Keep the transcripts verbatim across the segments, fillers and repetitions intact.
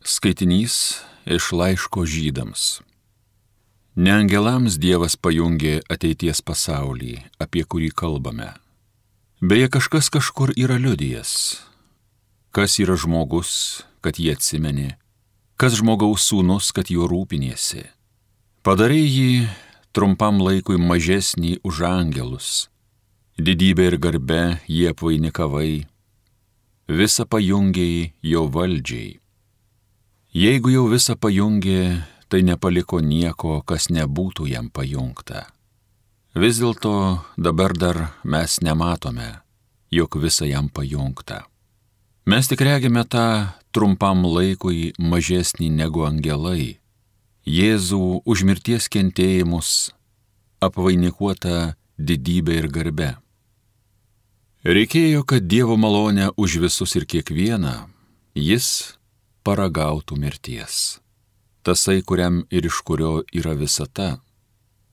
Skaitinys iš laiško Žydams. Ne angelams Dievas pajungė ateities pasaulį, apie kurį kalbame. Beje, kažkas kažkur yra liudijęs. Kas yra žmogus, kad jį atsimenė, kas žmogaus sūnus, kad juo rūpiniesi. Padarei jį trumpam laikui mažesnį už angelus, didybę ir garbę jį apvainikavai, visą pajungei jo valdžiai. Jeigu jau visą pajungė, tai nepaliko nieko, kas nebūtų jam pajungta. Vis dėlto dabar dar mes nematome, jog visą jam pajungta. Mes tik regime tą trumpam laikui mažesnį negu angelai, Jėzų už mirties kentėjimus apvainikuotą didybę ir garbę. Reikėjo, kad Dievo malonę už visus ir kiekvieną jis paragautų mirties. Tasai, kuriam ir iš kurio yra visata,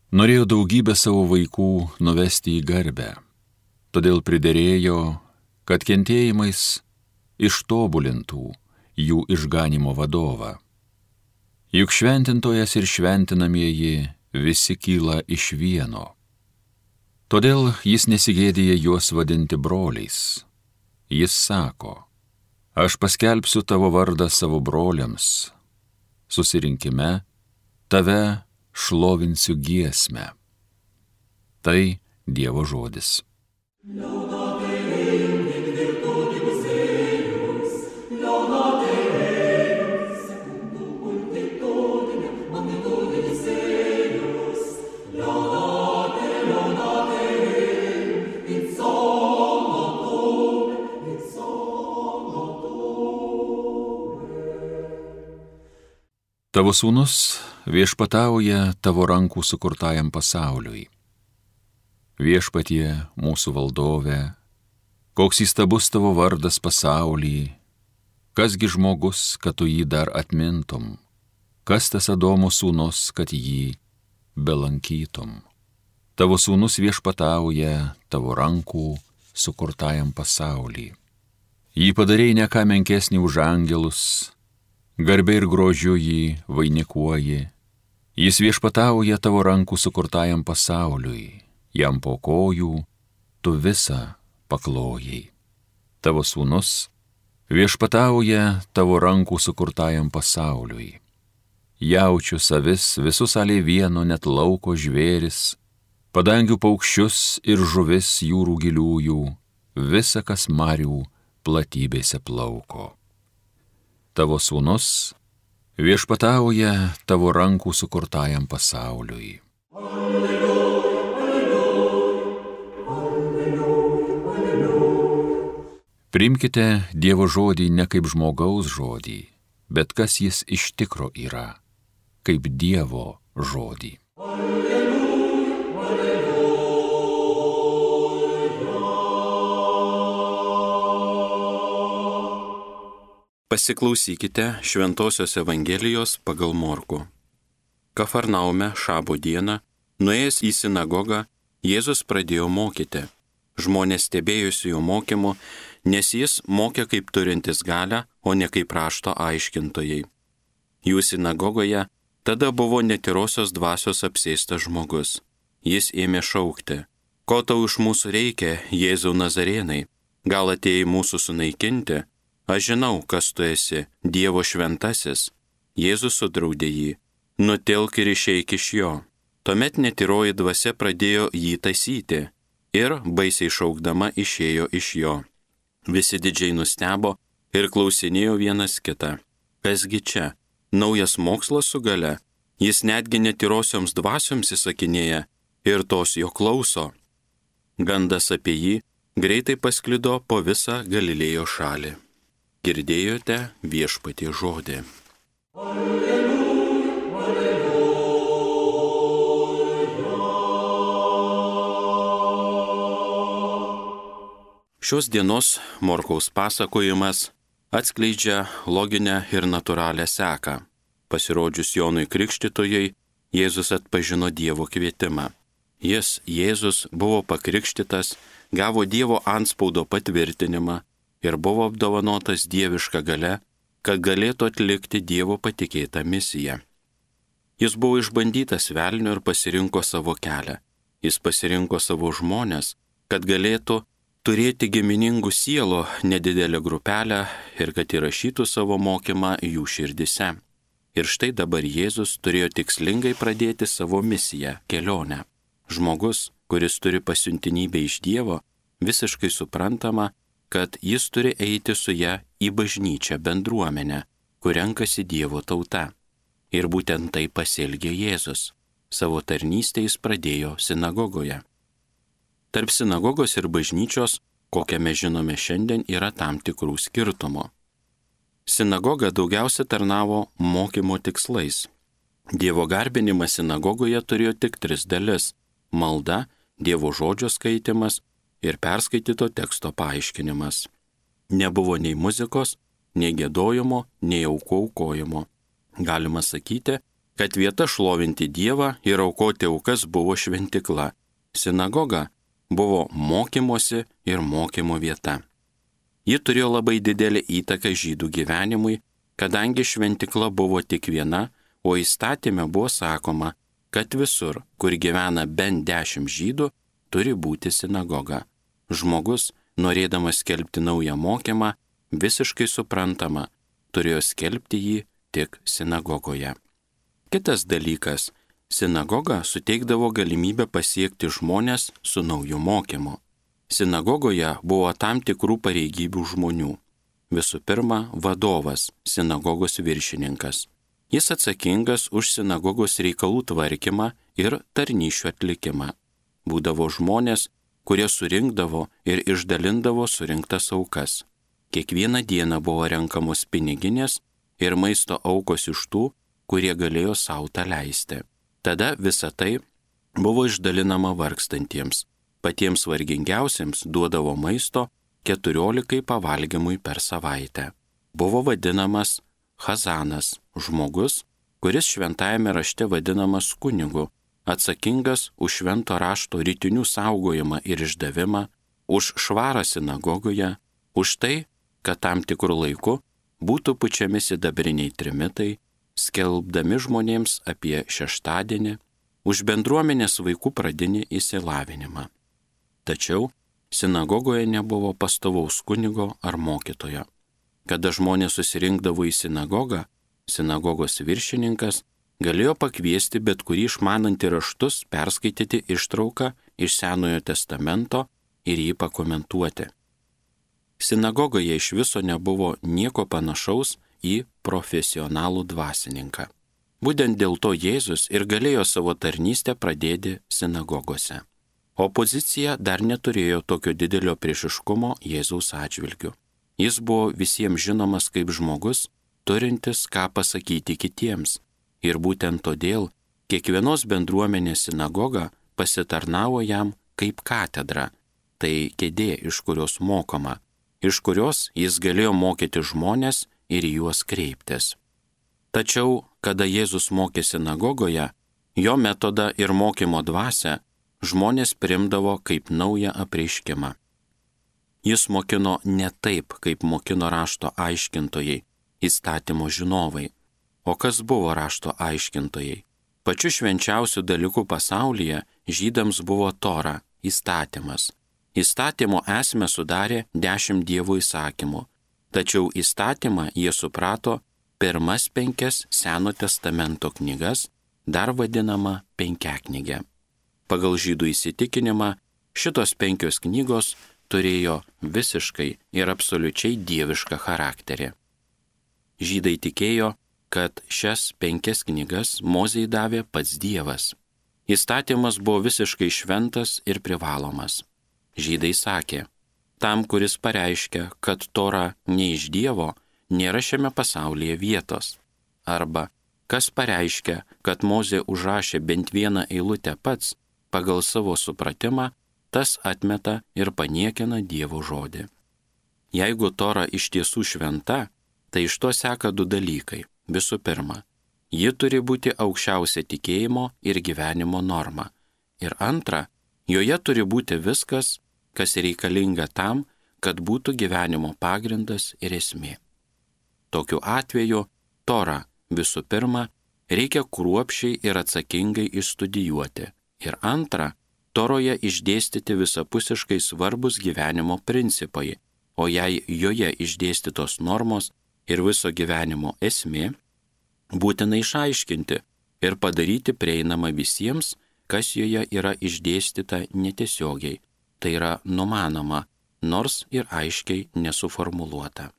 norėjo daugybę savo vaikų nuvesti į garbę. Todėl priderėjo, kad kentėjimais ištobulintų jų išganimo vadovą. Juk šventintojas ir šventinamieji visi kyla iš vieno. Todėl jis nesigėdija juos vadinti broliais. Jis sako, aš paskelbsiu tavo vardą savo broliams. Susirinkime tave šlovinsiu giesmę. Tai Dievo žodis. Tavo sūnus viešpatauja tavo rankų sukurtajam pasauliui. Viešpatie mūsų valdove, koks įstabus tavo vardas pasauly, kasgi žmogus, kad tu jį dar atmintum, kas tas Adomo sūnus, kad jį belankytum. Tavo sūnus viešpatauja tavo rankų sukurtajam pasauly. Jį padarei ne ką menkesnį už angelus, garbė ir grožiu jį vainikuoji. Jis viešpatauja tavo rankų sukurtajam pasauliui, jam po kojų tu visą paklojai. Tavo sūnus viešpatauja tavo rankų sukurtajam pasauliui. Jaučių savis, visus alė vieno, net lauko žvėris, padangių paukščius ir žuvis jūrų giliųjų, visa, kas marių platybėse plauko. Tavo sūnus viešpatauja tavo rankų sukurtajam pasauliui. Alleluja, alleluja, alleluja. Priimkite Dievo žodį ne kaip žmogaus žodį, bet kas jis iš tikro yra, kaip Dievo žodį. Pasiklausykite Šventosios Evangelijos pagal Morkų. Kafarnaume šabo dieną, nuėjęs į sinagogą, Jėzus pradėjo mokyti. Žmonės stebėjosi jo mokymu, nes jis mokė kaip turintis galią, o ne kaip rašto aiškintojai. Jų sinagogoje tada buvo netyrosios dvasios apsėstas žmogus. Jis ėmė šaukti, ko tau iš mūsų reikia, Jėzau Nazarėnai, gal atėjai mūsų sunaikinti? Aš žinau, kas tu esi, Dievo šventasis. Jėzus sudraudė jį, nutilk ir išeik iš jo. Tuomet netyroji dvasia pradėjo jį taisyti ir, baisiai šaukdama, išėjo iš jo. Visi didžiai nustebo ir klausinėjo vienas kitą. Kasgi čia? Naujas mokslas su gale? Jis netgi netyrosioms dvasioms įsakinėja ir tos jo klauso. Gandas apie jį greitai pasklido po visą Galilėjo šalį. Girdėjote Viešpaties žodį. Alleluja, alleluja. Šios dienos Morkaus pasakojimas atskleidžia loginę ir natūralią seką. Pasirodžius Jonui Krikštytojui, Jėzus atpažino Dievo kvietimą. Jis, Jėzus, buvo pakrikštytas, gavo Dievo antspaudo patvirtinimą ir buvo apdovanotas dieviška galia kad galėtų atlikti Dievo patikėtą misiją. Jis buvo išbandytas velnio ir pasirinko savo kelią. Jis pasirinko savo žmonės, kad galėtų turėti giminingų sielų nedidelę grupelę ir kad įrašytų savo mokymą jų širdise. Ir štai dabar Jėzus turėjo tikslingai pradėti savo misiją, kelionę. Žmogus, kuris turi pasiuntinybę iš Dievo, visiškai suprantama, kad jis turi eiti su ja į bažnyčią bendruomenę, kur renkasi Dievo tauta. Ir būtent tai pasielgė Jėzus. Savo tarnystę jis pradėjo sinagogoje. Tarp sinagogos ir bažnyčios, kokią mes žinome šiandien, yra tam tikrų skirtumų. Sinagoga daugiausia tarnavo mokymo tikslais. Dievo garbinimas sinagogoje turėjo tik tris dalis – malda, Dievo žodžio skaitimas ir perskaityto teksto paaiškinimas. Nebuvo nei muzikos, nei giedojimo, nei aukų aukojimo. Galima sakyti, kad vieta šlovinti Dievą ir aukoti aukas buvo šventikla. Sinagoga buvo mokymosi ir mokymo vieta. Ji turėjo labai didelį įtaką žydų gyvenimui, kadangi šventikla buvo tik viena, o įstatyme buvo sakoma, kad visur, kur gyvena bent dešimt žydų, turi būti sinagoga. Žmogus, norėdamas skelbti naują mokymą, visiškai suprantama, turėjo skelbti jį tik sinagogoje. Kitas dalykas, sinagoga suteikdavo galimybę pasiekti žmonės su nauju mokymu. Sinagogoje buvo tam tikrų pareigybių žmonių. Visų pirma, vadovas, sinagogos viršininkas. Jis atsakingas už sinagogos reikalų tvarkymą ir tarnysčių atlikimą. Būdavo žmonės, kurie surinkdavo ir išdalindavo surinktas aukas. Kiekvieną dieną buvo renkamos piniginės ir maisto aukos iš tų, kurie galėjo savo tą leisti. Tada visa tai buvo išdalinama vargstantiems. Patiems vargingiausiems duodavo maisto keturiolikai pavalgymui per savaitę. Buvo vadinamas Chazanas, žmogus, kuris šventajame rašte vadinamas kunigu, atsakingas už švento rašto rytinių saugojimą ir išdavimą, už švarą sinagogoje, už tai, kad tam tikrų laiku būtų pučiami sidabriniai trimitai, skelbdami žmonėms apie šeštadienį, už bendruomenės vaikų pradinį išsilavinimą. Tačiau sinagogoje nebuvo pastovaus kunigo ar mokytojo. Kada žmonės susirinkdavo į sinagogą, sinagogos viršininkas galėjo pakviesti bet kurį išmanantį raštus perskaityti ištrauką iš Senojo testamento ir jį pakomentuoti. Sinagogoje iš viso nebuvo nieko panašaus į profesionalų dvasininką. Būtent dėl to Jėzus ir galėjo savo tarnystę pradėti sinagogose. Opozicija dar neturėjo tokio didelio priešiškumo Jėzaus atžvilgiu. Jis buvo visiems žinomas kaip žmogus, turintis ką pasakyti kitiems. Ir būtent todėl kiekvienos bendruomenės sinagoga pasitarnavo jam kaip katedra, tai kėdė, iš kurios mokoma, iš kurios jis galėjo mokyti žmonės ir juos kreiptis. Tačiau, kada Jėzus mokė sinagogoje, jo metodą ir mokymo dvasią žmonės primdavo kaip naują apreiškimą. Jis mokino ne taip, kaip mokino rašto aiškintojai, įstatymo žinovai. O kas buvo rašto aiškintojai? Pačiu švenčiausiu dalyku pasaulyje žydams buvo Tora, įstatymas. Įstatymo esmę sudarė dešimt Dievo įsakymų, tačiau įstatymą jie suprato pirmas penkias Seno testamento knygas, dar vadinama penkiaknygė. Pagal žydų įsitikinimą šitos penkios knygos turėjo visiškai ir absoliučiai dievišką charakterį. Žydai tikėjo, kad šias penkias knygas Mozei davė pats Dievas. Įstatymas buvo visiškai šventas ir privalomas. Žydai sakė, tam, kuris pareiškia, kad Tora ne iš Dievo, nėra šiame pasaulyje vietos. Arba, kas pareiškia, kad Mozė užrašė bent vieną eilutę pats, pagal savo supratimą, tas atmeta ir paniekina Dievo žodį. Jeigu Tora iš tiesų šventa, tai iš to seka du dalykai. Visų pirma, ji turi būti aukščiausia tikėjimo ir gyvenimo norma. Ir antra, joje turi būti viskas, kas reikalinga tam, kad būtų gyvenimo pagrindas ir esmė. Tokiu atveju Torą visų pirma reikia kruopščiai ir atsakingai išstudijuoti. Ir antra, Toroje išdėstyti visapusiškai svarbus gyvenimo principai, o jei joje išdėstytos normos ir viso gyvenimo esmė, būtina išaiškinti ir padaryti prieinamą visiems, kas joje yra išdėstyta netiesiogiai, tai yra numanoma, nors ir aiškiai nesuformuluota.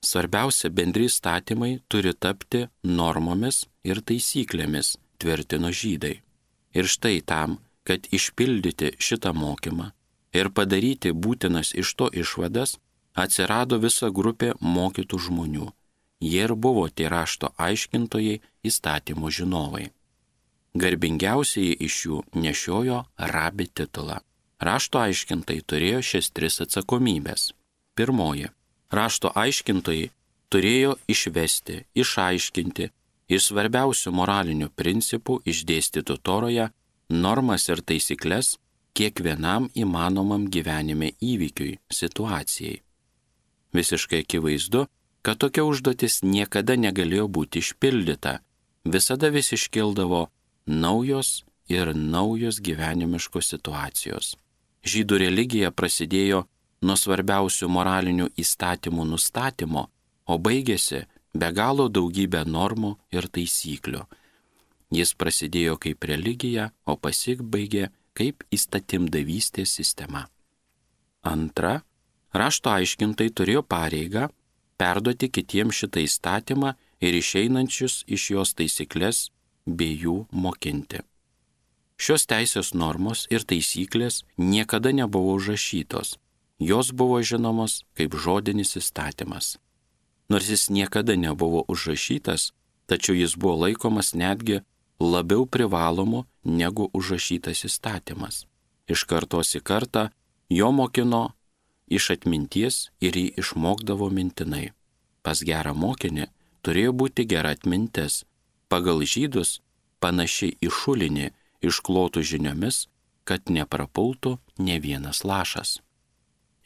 Svarbiausia, bendri įstatymai turi tapti normomis ir taisyklėmis, tvirtino žydai. Ir štai tam, kad išpildyti šitą mokymą ir padaryti būtinas iš to išvadas, atsirado visa grupė mokytų žmonių. Jie ir buvo tie rašto aiškintojai, įstatymų žinovai. Garbingiausiai iš jų nešiojo rabi titulą. Rašto aiškintojai turėjo šias tris atsakomybės. Pirmoji. Rašto aiškintojai turėjo išvesti, išaiškinti iš svarbiausių moralinių principų išdėstytų Toroje normas ir taisyklės kiekvienam įmanomam gyvenime įvykiui, situacijai. Visiškai akivaizdu, kad tokia užduotis niekada negalėjo būti išpildyta, visada vis iškildavo naujos ir naujos gyvenimiškos situacijos. Žydų religija prasidėjo nuo svarbiausių moralinių įstatymų nustatymo, o baigėsi be galo daugybę normų ir taisyklių. Jis prasidėjo kaip religija, o pasibaigė kaip įstatymdavystės sistema. Antra, rašto aiškintai turėjo pareigą perduoti kitiems šitą įstatymą ir išeinančius iš jos taisyklės bei jų mokinti. Šios teisės normos ir taisyklės niekada nebuvo užrašytos, jos buvo žinomos kaip žodinis įstatymas. Nors jis niekada nebuvo užrašytas, tačiau jis buvo laikomas netgi labiau privalomu negu užrašytas įstatymas. Iš kartos į kartą jo mokino iš atminties ir jį išmokdavo mintinai. Pas gerą mokinį turėjo būti gera atmintis, pagal žydus panaši į šulinį išklotų žiniomis, kad neprapultų ne vienas lašas.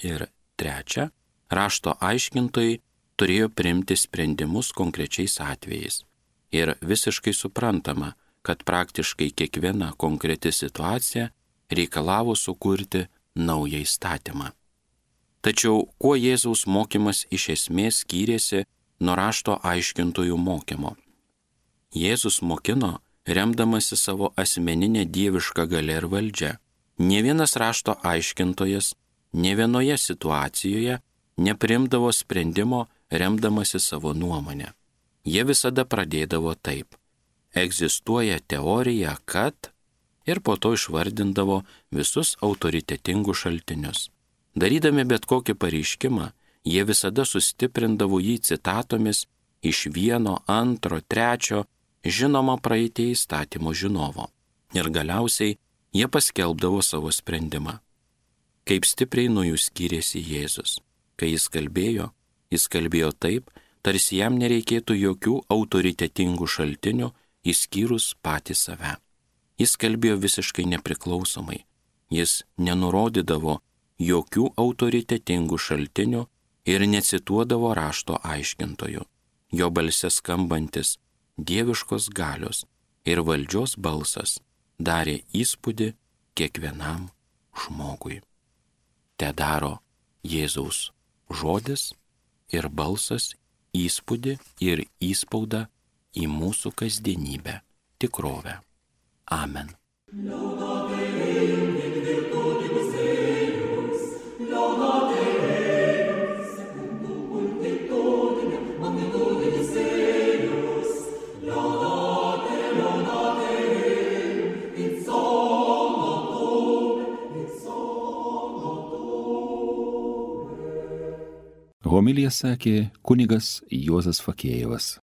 Ir trečia, rašto aiškintojai turėjo priimti sprendimus konkrečiais atvejais. Ir visiškai suprantama, kad praktiškai kiekviena konkreti situacija reikalavo sukurti naują įstatymą. Tačiau kuo Jėzaus mokymas iš esmės skyrėsi nuo rašto aiškintojų mokymo? Jėzus mokino, remdamasi savo asmeninę dievišką galią ir valdžią. Nė vienas rašto aiškintojas, nė vienoje situacijoje nepriimdavo sprendimo remdamasi savo nuomonę. Jie visada pradėdavo taip. Egzistuoja teorija, kad ir po to išvardindavo visus autoritetingus šaltinius. Darydami bet kokį pareiškimą, jie visada sustiprindavo jį citatomis iš vieno, antro, trečio, žinoma praeitie įstatymo žinovo. Ir galiausiai jie paskelbdavo savo sprendimą. Kaip stipriai nuo jų skyrėsi Jėzus. Kai jis kalbėjo, jis kalbėjo taip, tarsi jam nereikėtų jokių autoritetingų šaltinių, išskyrus patį save. Jis kalbėjo visiškai nepriklausomai. Jis nenurodydavo jokių autoritetingų šaltinių ir necituodavo rašto aiškintojų. Jo balse skambantis dieviškos galios ir valdžios balsas darė įspūdį kiekvienam žmogui. Te daro Jėzaus žodis ir balsas įspūdį ir įspaudą į mūsų kasdienybę, tikrovę. Amen. Homiliją sakė kunigas Juozas Fakėjevas.